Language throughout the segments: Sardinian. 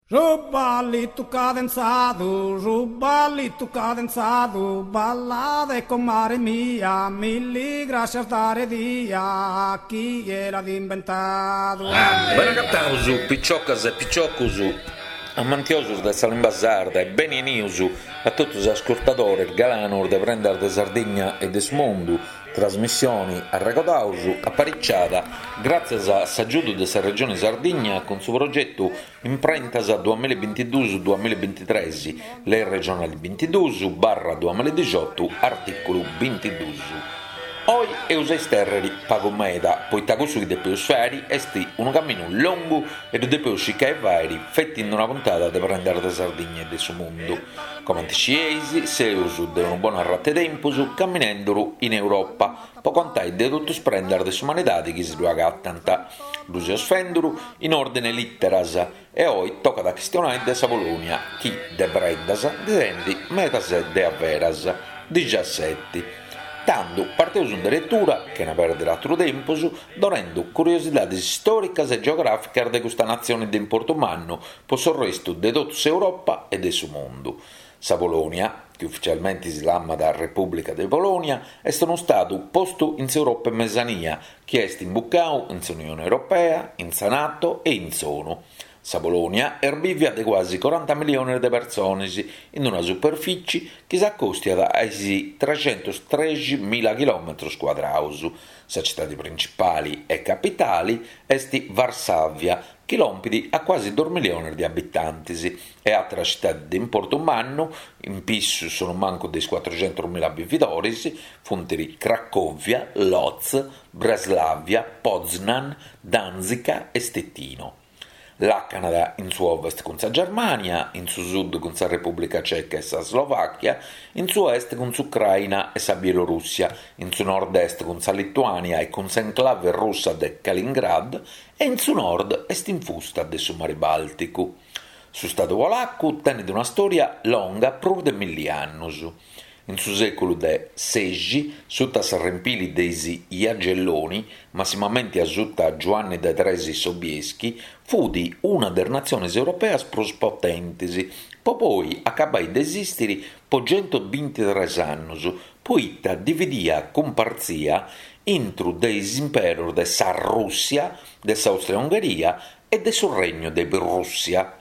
Su ballitu cadenzadu, su ballitu cadenzadu, ballade comare mia, milli grascias dare dia, chie l'at imbentadu. Bene agataus piciocas e piciocus amantiosus de sa limba sarda e beni 'enius a totus is ascurtadores galanos de Prendas de Sardigna e de su Mundu, Trasmissioni, arregodaus, apariciada gràtzias a s'agiudu de sa Regioni Sardigna cun su progetu Imprentas duamillabintiduus duamillabintitres, Lei regionali bintiduus barra duamilladixotu, artìculu bintiduus. Oi eus a istèrriri pagu meda, poita cussu chi depeus fàiri est unu caminu longu e ddu depeus circai 'e fàiri feti in una puntada de Prendas de Sardigna e de su Mundu. Comenti scieis, seus de unu bonu arratu 'e tempus caminenduru in Europa po contai de totu is prendas de s'umanidadi chi si ddu agatant. Ddu seus fenduru in òrdine 'e lìteras e oi tocat a chistionai de sa Polonia chi de prendas ndi tenit medas de averas, dixiaseti. Tandu parteus in deretura, chena pèrdiri àteru tempus, donendu curiosidadis stòricas e geogràficas de custa natzioni de importu mannu po s'orrestu de totu s'Europa e de su mundu. Sa Polònia, chi ufitzialmenti si lamat Repùblica de Polònia, est unu stadu postu in s'Europa 'e Mesania, chi est imbucau in s'Unione Europea, in sa Nato e in s'ONU. Sa Polònia est bìvia de cuasi coranta milliones de persones, in una superfici chi s'acòstiat a is trexentustrexi-mila chilòmetros cuadraus. Sa citadi principali e capitali est Varsàvia, chi lompit a cuasi dus milliones de abitantes, e àteras citades de importu mannu, in pissu sonumancu de is cuatruxentus-mila bividores, funt Cracòvia, Lodz, Breslavia, Poznan, Danzica e Stettino. Làcanat in su ovest cun sa Germània, in su sud cun sa Repùblica Ceca e sa Slovàchia, in su est cun s'Ucraina e sa Bielorùssia, in su nord-est cun sa Lituània e cun s'enclave russa de Kaliningrad e in su nord est infusta de su Mari Bàlticu. Su stadu polacu tenet una stòria longa prus de milli annus. In su sèculu de sexi, suta s'arrempili de is Jagelloni, massimamenti a suta Giuanni de Tres Sobieski, fut una de is natziones europeas prus potentes, po poi acabai de esistiri po centubintitres annus, poita dividia cumpartzia intru de is imperos de sa Rùssia, de s'Àustria-Ungheria e de su Regnu de Prùssia.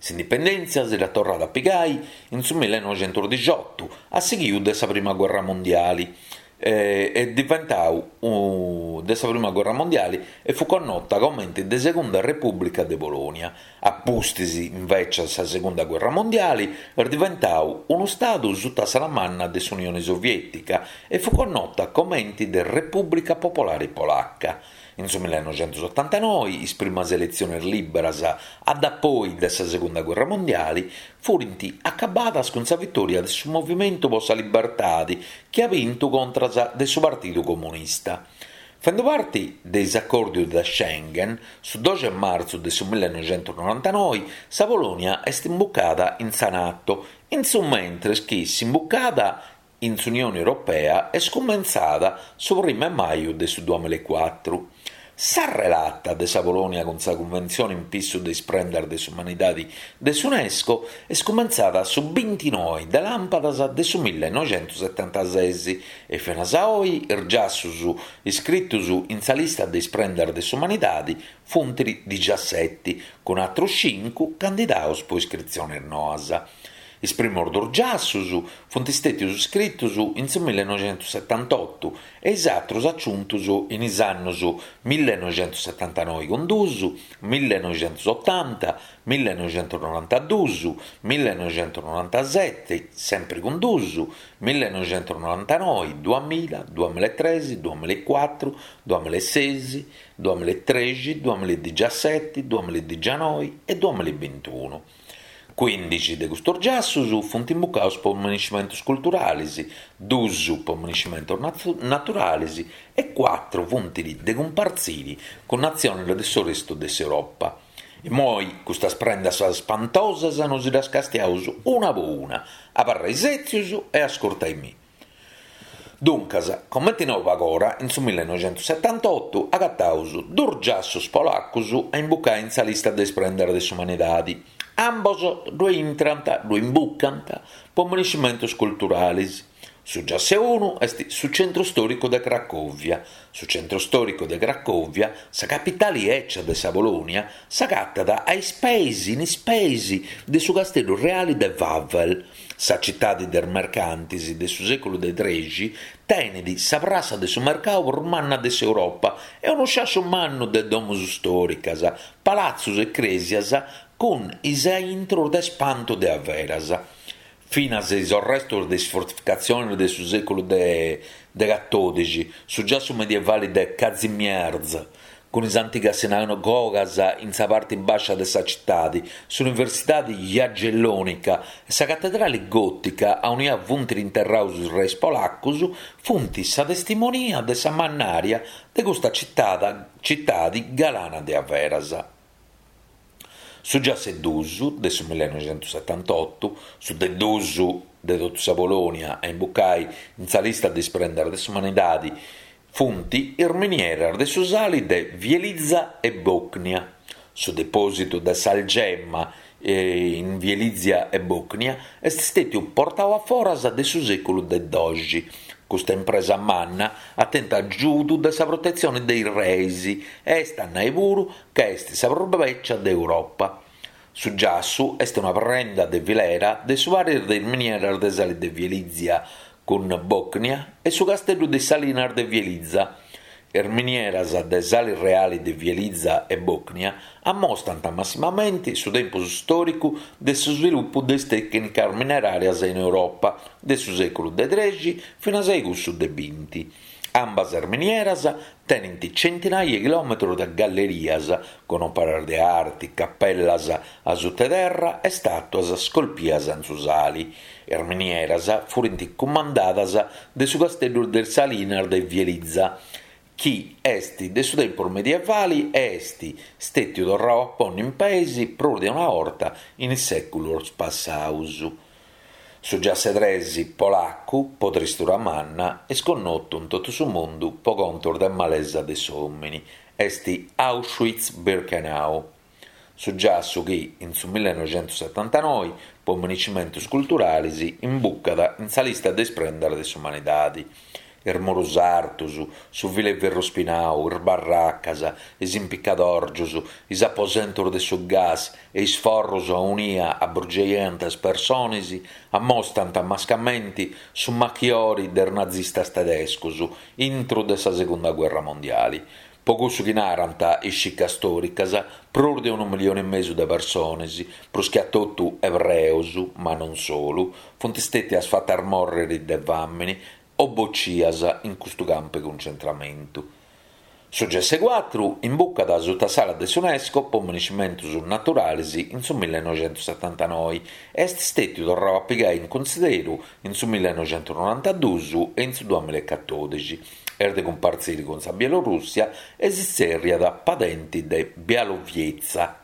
S'indipendèntzia si dd'at torrada a pigai in su millenoixentusdixotu, a sighiu de sa prima guerra mondiali, est diventau de sa prima guerra mondiali e fut connota comente de Segunda Repùblica de Polònia. A pustis, invècias, sa segunda guerra mondiali, est diventau unu stadu suta s'ala manna de s'Unione Soviètica e fut connota comenti de Repùblica Popolari Polaca. In su millenoixentusotantanoi is primas eletziones lìberas a dapoi de sa segunda guerra mondiali furint acabadas cun sa vitòria de su Movimentu po sa Libertadi chi at bintu contras de su Partidu Comunista. Fendu parti de is acòrdius de Schengen, su doxi 'e martzu de su millenoixentusnorantanoi sa Polònia est imbucada in sa Nato, in su mentres chi s'imbucada in s'Unione Europea est cumentzada su primu 'e maju de su duamillaecuatru. Sa relata de sa Polònia cun sa Cunventzione in pissu de is prendas de s'umanidadi de s'Unesco est cumentzada su bintinoi de làmpadas de su millenoixentusetantases e finas a oi is giassus iscritus in sa lista de is prendas de s'umanidadi funt dixiaseti, cun atrus cincu candidaus po iscritzionis noas. Is primos dus giassus funt stètius scritus in su millenoixentusetantotu e is atrus aciuntus in is annus millenoixentusetantanoi cun dus, millenoixentusotanta, millenoixentusnorantadus, millenoixentusnorantaseti, sempri cun dus, millenoixentusnorantanoi, duamilla, duamillaetres, duamillaecuatru, duamillaeses, duamillaetrexi, duamilladixiaseti, duamilladixianoi e duamillabintunu. Cuindixi de custus giassus funt imbucaus po minescimentus culturalis, dus po minescimentus naturalis e cuatru funt de cumpartziri cun natzionis de s'orestu de s'Europa. Immoi custas prendas spantosas nosi ddas castiaus una po una, abarrai sètzius e ascurtai-mì. Duncas, comenti nau pagora, in su millenoixentussetantotu agataus duus giassus polacus a imbucai in sa lista de is prendas de s'umanidadi. Ambos ddue intrant, ddue imbucant, po miniscimentus culturalis. Su giass'e unu est su centru stòricu de Cracòvia. Su centru stòricu de Cracòvia, sa capitali 'ècia de sa Polònia, s'agatat a is peis in is peis de su casteddu reali de Wawel. Sa citadi de is mercantis de su sèculu de trexi tenit sa prassa de su mercau prus manna de s'Europa e unu sciasciu mannu de domus stòricas, palatzus e crèsias cun is aintrus de spantu de averas. Finas is orrestus de is fortificatzionis de su sèculu de de catòdixi, su giassu medievali de Kazimierz, cun is antigas sinagogas in sa parti bàscia de sa citadi, s'Universidadi Jagellònica e sa catedrali gòtica aunia funt interraus is reis polacus, funt sa testimonia de sa mannària de custa citadi galana de averas. Su giass'e duus de su millenoixentussetantotu, su de duus de totu sa Polònia a imbucai in sa lista de is prendas de s'umanidadi, funt is minieras de su sali de Wieliczka e Bochnia. Su depòsitu de s'algemma in Wieliczka e Bochnia est stètiu portau a foras de su sèculu de doxi. Custa impresa manna at tentu agiudu de sa protetzioni de is reis e est a nai puru ca est sa prus bècia de Europa. Su giassu est una prenda de filera de su paris de is minieras de sali de Wieliczka cun Bochnia e su casteddu de is salinas de Wieliczka. Is minieras de sali reali de Wieliczka e Bochnia ammostant massimamenti su tempus stòricu de su svilupu de is tècnicas mineràrias in Europa de su sèculu de trexi finas a cussu de binti. Ambas is minieras tenint centinai 'e chilòmetrus de gallerias cun òperas de arti, capellas a suta 'e terra e stàtuas scolpias in su sali. Is minieras furint cumandadas de su casteddu de is salinas de Wieliczka, chi est de su tempus medievali e est stètiu torrau a ponni in peis prus de una 'orta in is sèculus passaus. Su giass'e tres polacu, po tristura manna, est connotu in totu su mundu po contus de malesa de s'òmini, est Auschwitz-Birkenau. Su giassu chi, in su millenoixentussetantanoi, po miniscimentus culturalis, imbucat in sa lista de is prendas de s'umanidadi. Is murus artus, su fil'e ferru spinau, is barracas, is impicadòrgius, is aposentus de su gas e is forrus aunia abrugiaiant is personis ammostant mascamenti su machiori de is nazistas tedescus intru de sa segunda guerra mondiali. Po cussu chi narant is cicas stòricas, prus de unu milioni e mesu de personis, prus che a totu ebreus, ma non solu, funt stètias fatas mòrriri de fàmini o bocias in custu campu 'e cuncentramentu. Su giass'e cuatru imbucat suta s'ala de s'Unesco po miniscimentus naturalis in su millenoixentussetantanoi e est stètiu torrau a pigai in cunsideru in su millenoixentusnorantaduus e in su duamilla e catòdixi. Est de cumpartziri cun sa Bielorùssia e si tzèrriat Padenti de Białowieża.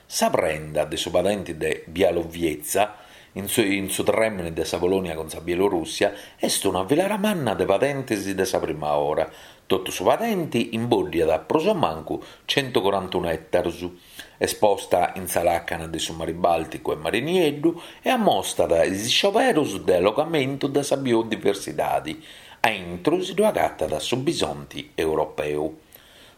Sa prenda de su padenti de Białowieża, in su in su trèmini de sa Polònia cun sa Bielorùssia, est una filera manna de padentis de sa prima ora. Totu su padenti imbòddiat prus o mancu centucorantunu ètarus. Est posta in sa làcana de su Mari Bàlticu e Mari Nieddu e ammostat is scioberus de allogamentu de sa biodiversidadi. A intru si ddu agatat su bisonti europeu.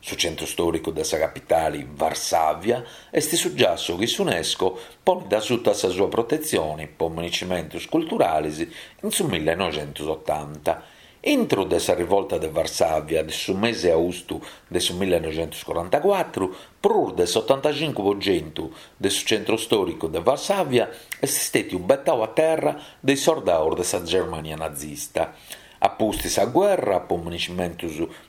Su centru stòricu de sa capitali, Varsàvia, est su giassu chi s'Unesco ponit asuta sa sua protetzioni po miniscimentus culturalis in su millenoixentusotanta. Intru de sa rivolta de Varsàvia de su mesi austu de su millenoixentuscorantacuatru, prus de s'otantacincu po centu de su centru stòricu de Varsàvia est stètiu betau a terra de is sordaus de sa Germània nazista. A pustis sa guerra, po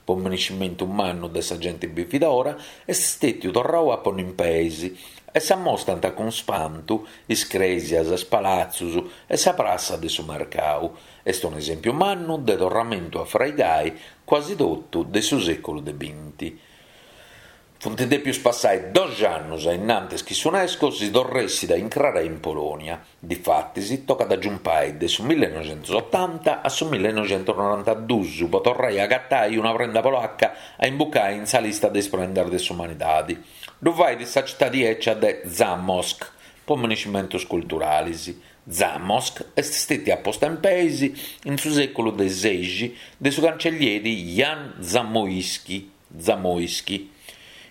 po miniscimentu mannu de sa genti bividora, est stètiu torrau a ponni in peis e s'ammostant cun spantu is crèsias, is palatzus e sa prassa de su mercau. Est un'esèmpiu mannu de torramentu a fraigai quasi totu de su sèculu de binti. Funt dèpius passai doxi annus a innantis chi s'Unesco si torressit a incrarai in Polònia. Difatis tocat a giumpai de su millenoixentusotanta a su millenoixentusnorantaduus po torrai a agatai una prenda polacca a imbucai in sa lista de is prendas de s'umanidadi. Ddu fait sa citadi 'ecia de Zamość po minescimentus culturalis. Zamość est stètia posta in peis in su sèculu de sexi de su cancellieri Jan Zamoyski. Zamoyski,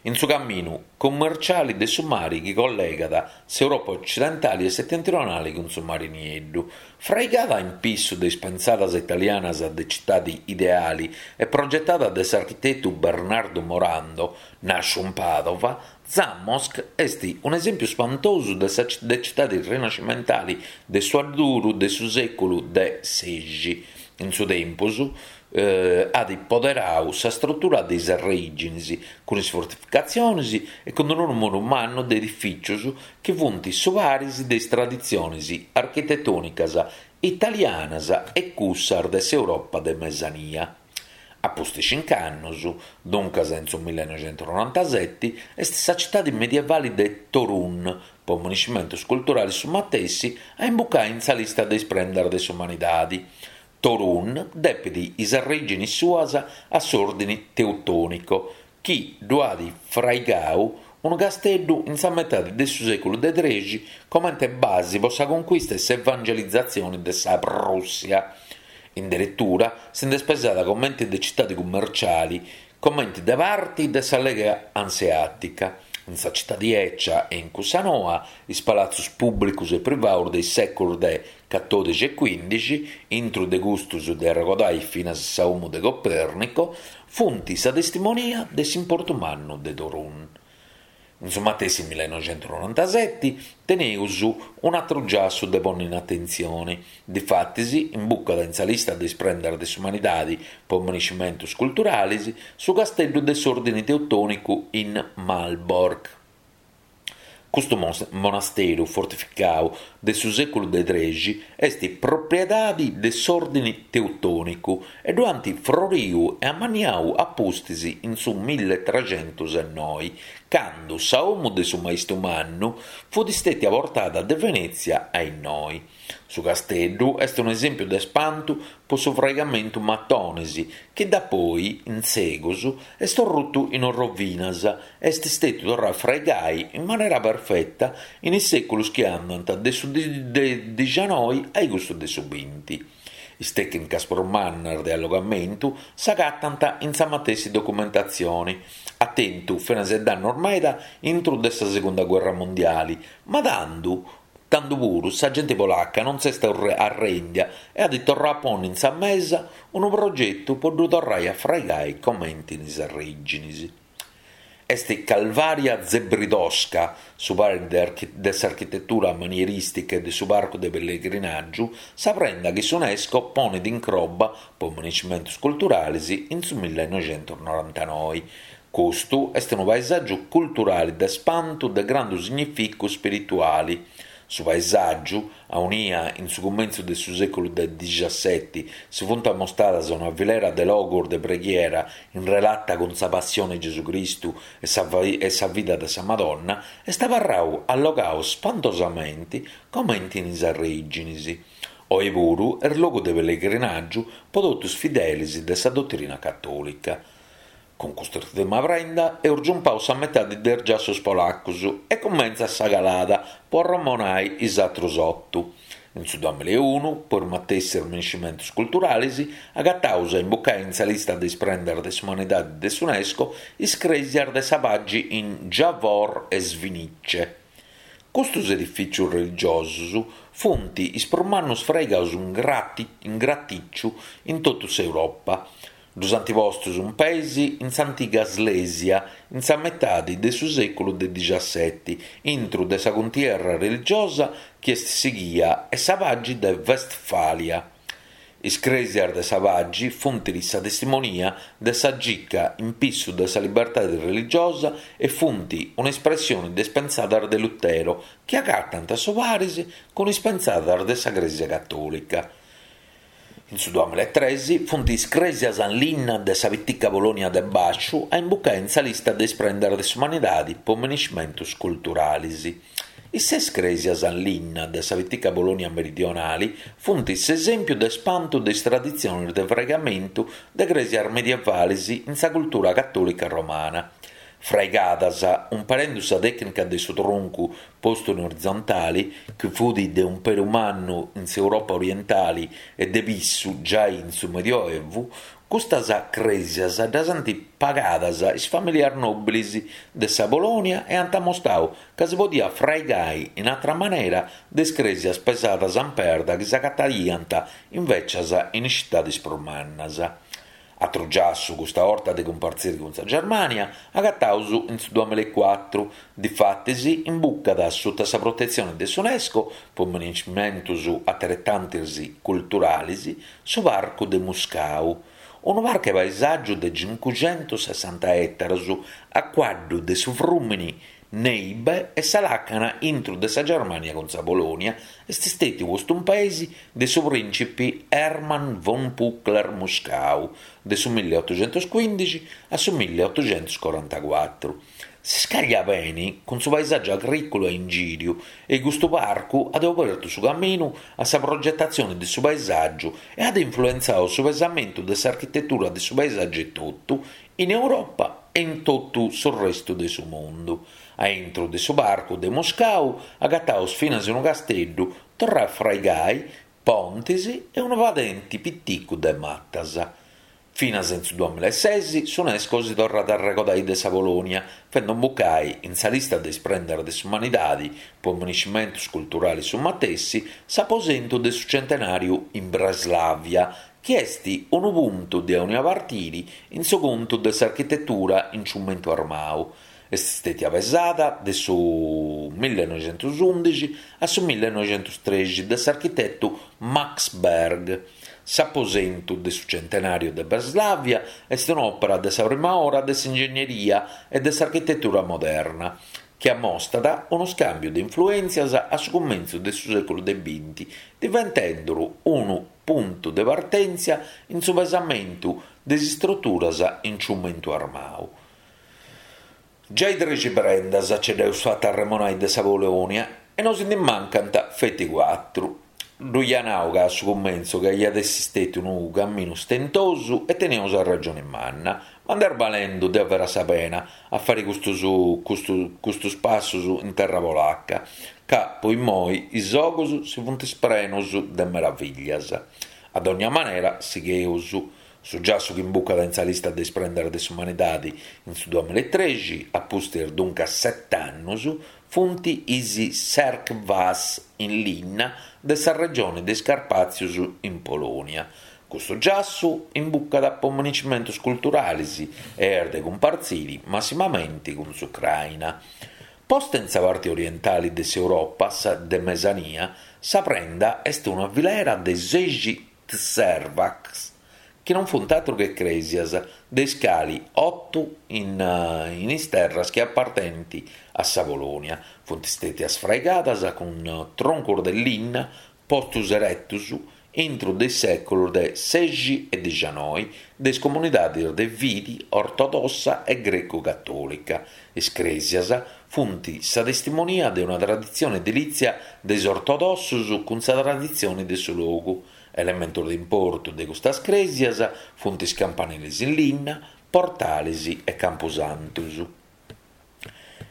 in su caminu cummerciali de su mari chi collegat s'Europa ocidentali e setentrionali cun su Mari Nieddu. Fraigada in pissu de is pensadas italianas de citadi ideali e progetada de s'architetu Bernardu Morando, nàsciu in Pàdova, Zamość est un'esèmpiu spantosu de sa de citadi rinascimentali de su adduru de su sèculu de sexi. In su tempus at poderau sa strutura de is arrèginis, cun is fortificatzionis e cun unu nùmeru mannu de edifìcius chi funt su paris de is traditzionis architetònicas italianas e cussas de s'Europa de Mesania. A pustis cinc'annus, duncas in su millenoixentusnorantaseti, est sa citadi medievali de Torun, po minescimentus culturalis su matessi, a imbucai in sa lista de is prendas de s'umanidadi. Torun depit is arrèginis suas a s'Òrdini Teutònico, chi ddu at fraigau unu casteddu in sa metadi de su sèculu de trexi comente basi po sa conquista e s'evangelizatzioni de sa Prùssia. In deretura si nd'est pesada comente de citadi cummerciali, comente de parti de sa Lega Anseàtica. In sa citadi 'ecia e in cussa noa, is palatzus pùblicus e privaus de is sèculus de catòdixi e cuìndixi, intru de custus de arregodai finas sa 'omu de Copernico, funt sa testimonia de s'importu mannu de Torun. In su matessi millenoixentusnorantaseti teneus un'atru giassu de ponni in atentzioni, difatis imbucat in sa lista de is prendas de s'umanidadi po minescimentus culturalis su casteddu de s'Òrdini Teutònicu in Malbork. Custu monasteru fortificau de su sèculu de trexi est propriedadi de s'Òrdini Teutònicu e ddu ant froriu e amanniau a pustis in su milletregentusenoi, candu sa 'omu de su maistu mannu fut stètia portada de Venètzia a innoi. Su casteddu est un'esèmpiu de spantu po su fraigamentu matonis, chi dapoi, in segus, est orrutu in orrovinas e est stètiu torrau a fraigai in manera perfeta in is sèculus chi andant de su de dixianoi a cussu de su binti. Is tècnicas prus mannas de allogamentu s'agatant in sa matessi documentatzioni. At tentu finas e dannus meda intru de sa segunda guerra mondiali, ma tandu Tandu puru sa genti polacca non s'est arrèndia e at torrau a ponni in sa mesa unu progetu po ddu torrai a fraigai comenti in is arrèginis. Est Kalwaria Zebrzydowska, su paris de s'architetura manierìstica e de su parcu de pellegrinàgiu, sa prenda chi s'Unesco ponit in croba po minescimentus culturalis in su millenoixentusnorantanoi. Custu est unu paesàgiu culturali de spantu de grandu significu spirituali. Su paesàgiu, aunia in su cumentzu de su sèculu de dixaseti si funt amostadas una filera de logus de preghiera in relata cun sa Passione 'e Gesù Cristu e sa e sa vida de sa Madonna, est abarrau allogau spantosamenti comenti in is arrèginis. Oi puru est logu de pellegrinàgiu po totu is fidelis de sa dotrina catòlica. Cun cust'ùrtima prenda eus giumpau sa metadi de is giassus polacus e cumentzat sa calada po arremonai is atrus otu. In su duamilla e unu, po is matessis minescimentus culturalis, agataus a imbucai in sa lista de is prendas de s'umanidadi de s'Unesco is crèsias de sa pagi in Jawor e Świnice. Custus edifìcius religiosus funt is prus mannus fraigaus in gratìciu in totu s'Europa. Ddus ant postus in peis in s'antiga Slèsia in sa metadi de su sèculu de dixaseti, intru de sa cuntierra religiosa chi est sighia e sa pagi de Westfàlia. Is crèsias de sa pagi funt sa testimonia de sa gica in pissu de sa libertadi religiosa e funt un'espressioni de is pensadas de Lutero chi agatant su paris cun is pensadas de sa Crèsia Catòlica. In su duamillaetrexi funt is crèsias in linna de sa pitica Polònia de Bàsciu a imbucai in sa lista de is prendas de s'umanidadi po minescimentus culturalis. Is ses crèsias in linna de sa pitica Polònia meridionali funt s'esèmpiu de spantu de is traditzionis de fraigamentu de crèsias medievalis in sa cultura catòlica romana. Fraigadas umperendu sa tècnica de su truncu postu in orizontali, chi fut de umperu mannu in s'Europa orientali e de pissu giai in su Medioevu, custas crèsias ddas ant pagadas is famìlias nòbilis de sa Polònia e ant amostau ca si podiat fraigai in atra manera de is crèsias pesadas in perda chi s'agataiant invècias in is citadis prus mannas. Atru giassu, custa 'orta de cumpartziri cun sa Germània, agataus in su duamillaecuatru, difatis imbucat suta sa protetzioni de s'Unesco po minescimentus ateretantis culturalis, su Parcu de Muskau, unu parcu 'e paesàgiu de cincuxentussessanta ètaros a cuaddu de su frùmini Neibe e sa làcana intru de sa Germània cun sa Polònia est stètiu postu in peis de su prìncipi Hermann von Pückler-Muskau de su milliotuxentuscuìndixi a su milliotuxentuscorantacuatru. Si scàgliat beni cun su paesàgiu agrìculu a ingìriu e custu parcu at obertu su caminu a sa progetatzione de su paesàgiu e at influentzadu su pesamentu de s'architetura de su paesàgiu etotu in Europa e in totu su restu de su mundu. A intru de su parcu de Muskau agataus finas unu casteddu torrau a fraigai, pontis e unu padenti piticu de matas. Finas in su duamillaeses s'Unesco si torrat a arregodai de sa Polònia, fendu imbucai in sa lista de is prendas de s'umanidadi po minescimentus culturalis su matessi s'aposentu de su centenàriu in Breslàvia, chi est unu puntu de aunia partiri in su contu de s'architetura in ciumentu armau. Est stètia pesada de su millenoixentusundixi a su millenoixentustrexi de s'architetu Max Berg. S'aposentu de su centenàriu de Breslàvia est un'òpera de sa prima ora de s'ingegneria e de s'architetura moderna, chi amostat unu scàmbiu de influèntzias a su cumentzu de su sèculu de binti, diventenduru unu puntu de partèntzia in su pesamentu de is istruturas in ciumentu armau. Giai trexi prendas ce dd'eus fata arremonai de sa Polònia e nosi ndi mancant feti cuatru. Ddu ia nau ca a su cumentzu ca iat essi stètiu unu caminu stentosu e teniaus arragioni manna, ma nd'est balendu de averas sa pena a fari custus custus passus in terra polaca, ca po immoi is ogus si funt sprenus de meraviglias. A dogna manera sigheus. Su giassu chi imbucat in sa lista de is prendas de s'umanidadi in su duamillaetrexi, a pustis duncas set'annus, funt is Tserkvas in linna de sa regioni de is Carpàtzius in Polònia. Custu giassu imbucat po minescimentus culturalis e est de cumpartziri massimamenti cun s'Ucraina. Posta in sa parti orientali de s'Europa de Mesania, sa prenda est una filera de sexi tserkvas, chi non funt atru che crèsias, de is cali otu in in is terras chi apartenint a sa Polònia, funt stètias fraigadas cun troncus de linna postus eretus intru de is sèculus de sexi e dixanoi de is comunidadis de fidi ortodossa e grecu-catòlica. Is crèsias funt sa testimonia de una traditzione edilìtzia de is ortodossus cun sa traditzione de su logu. Elementos de importu de custas crèsias funt is campanilis in linna, portalis e campusantus.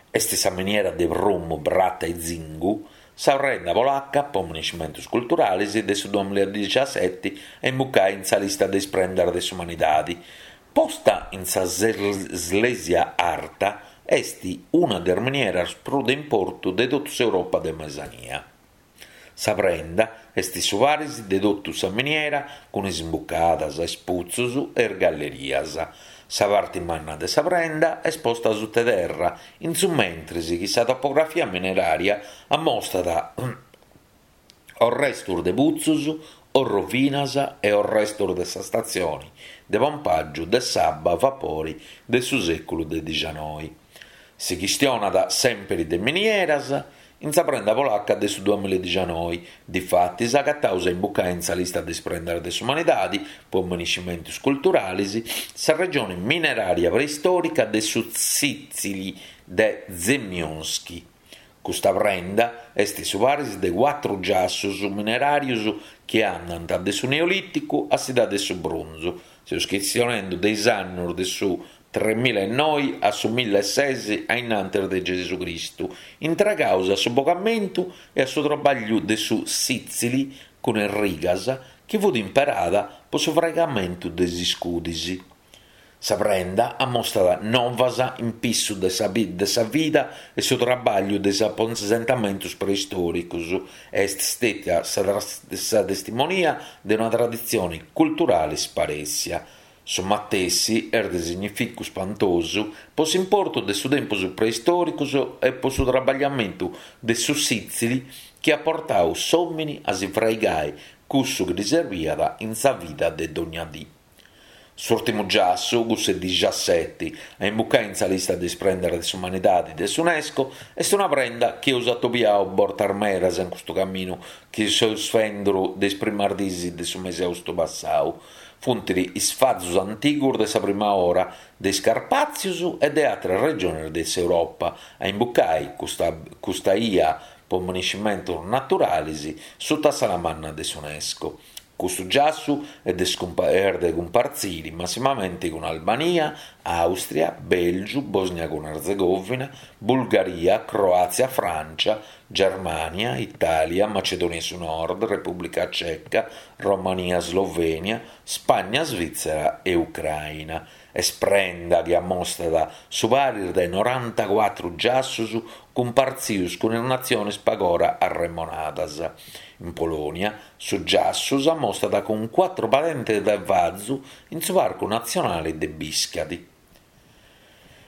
Est sa miniera de prumu, prata e zingu, sa prenda polaca po minescimentus culturalis de su duamilladixaseti a imbucai in sa lista de is prendas de s'umanidadi. Posta in sa Slesia Arta, est una de is minieras prus de importu de totu s'Europa de Mesania. Sa prenda est su paris de totu sa miniera cun is imbucadas, is putzus e is gallerias. Sa parti manna de sa prenda est posta suta terra, in su mentris chi sa topografia minerària ammostat orrestus de putzus, orrovinas e orrestus de sa statzioni de pompàgiu de s'abba a vapori de su sèculu de dixanoi. Si chistionat sèmpiri de minieras in sa prenda polaca de su duamilla e difatis agataus a imbucai in sa lista de is prendas de s'umanidadi po miniscimentus culturalis sa regioni minerària preistòrica de su Tzìtzili de Zemionsky. Custa prenda est su paris de cuatru giassus mineràrius chi andant de su Neolìticu a s'Idadi de su Brunzu, seus chistionendu de is annus de su tremila e noi a su milla e ses a innantis de Gesù Cristu, intregaus a su bogamentu e a su trabagliu de su sìtzili cun is rigas chi fut imperada po su fraigamentu de is iscudis. Sa prenda ammostat novas in pissu de sa de sa vida e su trabagliu de is aposentamentus preistòricus e est stètia sa sa testimonia de una traditzioni culturali sparèssia. Su matessi est de significu spantosu po s'importu de su tempus preistòricus e po su trabagliamentu de su sìtzili chi at portau s'òmini a si fraigai cussu chi ddi serbiat in sa vida de dogna dì. S'ùrtimu giassu, cussu 'e dixaseti, a imbucai in sa lista de is prendas de s'umanidadi de s'Unesco, est una prenda chi eus atobiau bortas medas in custu caminu chi seus fenduru de is primas diis de su mesi austu passau. Funt is fazus antigus de sa prima ora de is Carpàtzius e de àteras regionis de s'Europa a imbucai custa custa ia po miniscimentus naturalis suta s'ala manna de s'Unesco. Custu giassu est de est de cumpartziri massimamenti cun Albania, Àustria, Bèlgiu, Bòsnia cun Arzegovina, Bulgaria, Croàtzia, Frància, Germània, Itàlia, Macedònia 'e su Nord, Repùblica Ceca, Romania, Slovènia, Spagna, Svìtzera e Ucraina. Est prenda chi ammostat su paris de norantacuatru giassus cumpartzius cun is natziones pagora arremonadas. In Polònia, su giassu s'ammostat cun cuatru padentes de fazu in su Parcu Natzionale de Biscadi.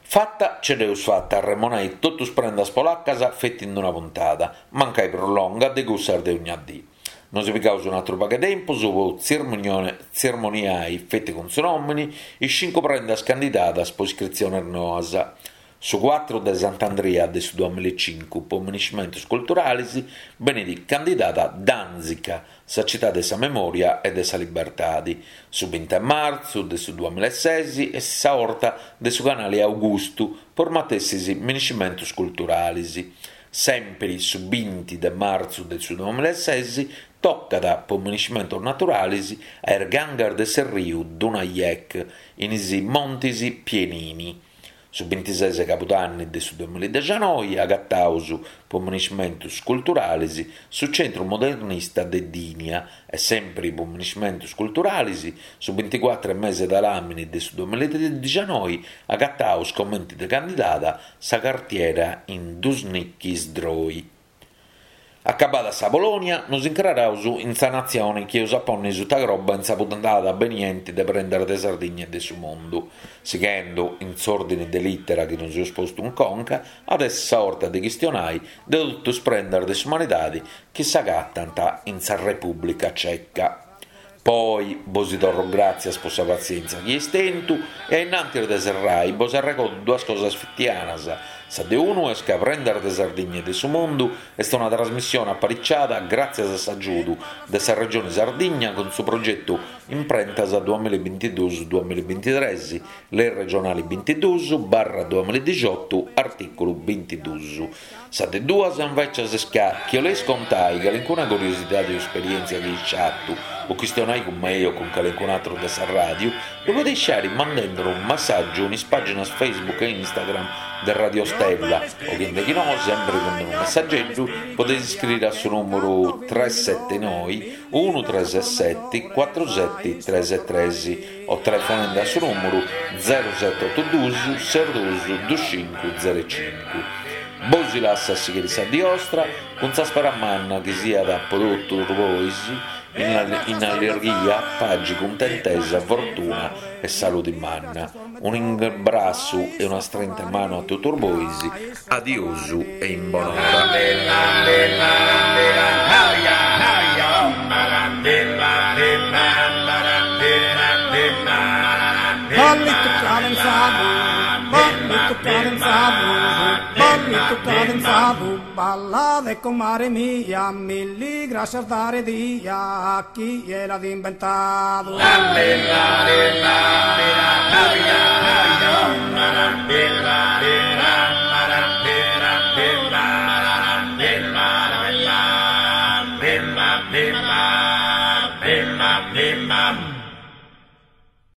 Fata ce dd'eus fata a arremonai totu is prendas polacas feti in una puntada, mancai prus longa de cussas de ogna dì. Nosi pigaus un'atru pagu 'e tempus po tzirmoniai feti cun su nòmini is cincu prendas candidadas po iscritziones noas. Su cuatru de Sant'Andria de su duamillaecincu po miniscimentus culturalis benit candidada Dànzica, sa citadi de sa memòria e de sa libertadi. Su binti 'e martzu de su duamillaeses est sa 'orta de su Canali Augustu po is matessis miniscimentus culturalis. Sèmpiri su binti de martzu de su duamillaeses tocat po miniscimentus naturalis a is gangas de s'erriu Dunajec in is montis Pienini. Su bintises 'e cabudanni de su duamillaedexianoi agataus po miniscimentus culturalis su centru modernista de Gdynia e sèmpiri po miniscimentus culturalis su binticuatru 'e mese de ladàmini de su duamillaedexianoi agataus comenti de candidada sa cartiera in Duszniki Zdrój. Acabada sa Polònia, nos incraraus in sa natzione chi eus a ponni suta croba in sa puntada benienti de Prendas de Sardigna e de su Mundu. Sighendu in s'òrdini de lìtera chi nos eus postu in conca, at essi sa 'orta de chistionai de totu is prendas de s'umanidadi chi s'agatant in sa Repùblica Ceca. Po oi bosi torro gràtzias po sa patzièntzia chi eis tentu e a innantis de serrai bos arregodu duas cosas fitianas, sa de unu est ca Prendas de Sardigna e de su Mundu est una trasmissione apariciada gràtzias a s'agiudu de sa Regioni Sardigna cun su progetu Imprentas duamillabintiduus duamillabintitres, Lei regionali bintiduus barra duamilladixotu artìculu bintiduus. Sa de duas, invècias, est ca, chi 'oleis contai calincuna curiosidadi o esperièntzia chi eis fatu, o chistionai cun mei o cun calincun'atru de sa ràdiu, ddu podeis fai mandendi unu messàgiu in is pàginas Facebook e Instagram de Radio Stella o chi de chi no, sempri cun unu messageddu, podeis scriri a su nùmuru tres seti noi unu tres seti cuatru seti tres tres o telefonendi a su nùmuru zeru seti otu dus ses dus dus cincu zeru cincu. Bosi lassu a sighiri sa dì 'ostra cun sa spera manna chi siat po totus bois in allirghia, pagi, cuntentesa, fortuna e saludi manna. Un'imbrassu e una strinta 'e manu a totus bois, adiosu e in bonora. Ballitu cadenzadu, ballitu cadenzadu. ballitu cadenzadu, ballade comare mia, milli grascias dare dia a chie l'at imbentadu.